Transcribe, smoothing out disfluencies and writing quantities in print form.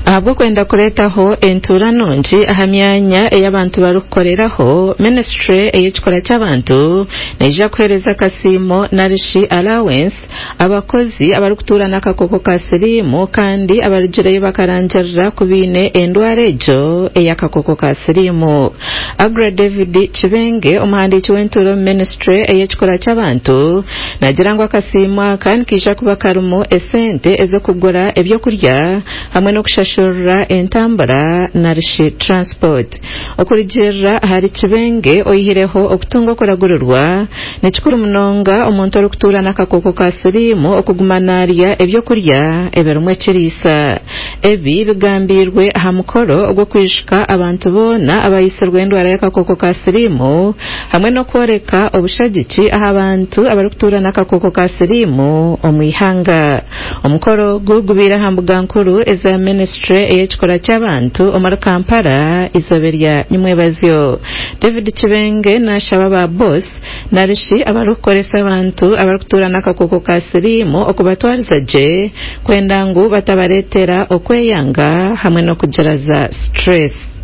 Ahabw'okwenda kureetaho entuura nungi aha myanya ei abantu barikukoreraho, minisiture ey'ekikura ky'abantu neija kuheereza akasiimo narishi allowance abakozi abarikutuura n'akakooko ka siriimu kandi abarugireyo bakarangirira ku baine endwara egyo ey'akakooko ka siriimu. Aggrey David Kibenge, omuhandiiki w'entuura omu minisiture ey'ekikura ky'abantu naagira ngu akasiimo aka nikaija kuba karimu esente ez'okugura ebyokurya hamwe n'okushashurira entambura narishi transport. Okurugiirira ahari Kibenge, oyihireho okutunga okuragurirwa, nikikuru munonga omuntu orikutuura n'akakooko ka siriimu okuguma naarya ebyokurya ebirimu ekiriisa. Ebi bigambiirwe aha mukoro ogw'okwijuka abantu boona abaitsirwe endwara y'akakooko ka siriimu hamwe n'okworeka obushagiki aha bantu abarikutuura n'akakooko ka siriimu omu ihanga. Omukoro ogu gubaire aha mbuga nkuru eza minisiture ey'ekikura ky'abantu omuri Kampala eizooba erya nyimwebazyo. David Kibenge nashaba ba boss narishi abarikukoresa abantu abarikutuura n'akakooko ka siriimu okubatwariza gye kwenda ngu batabareetera okweyanga hamwe n'okugira za stress.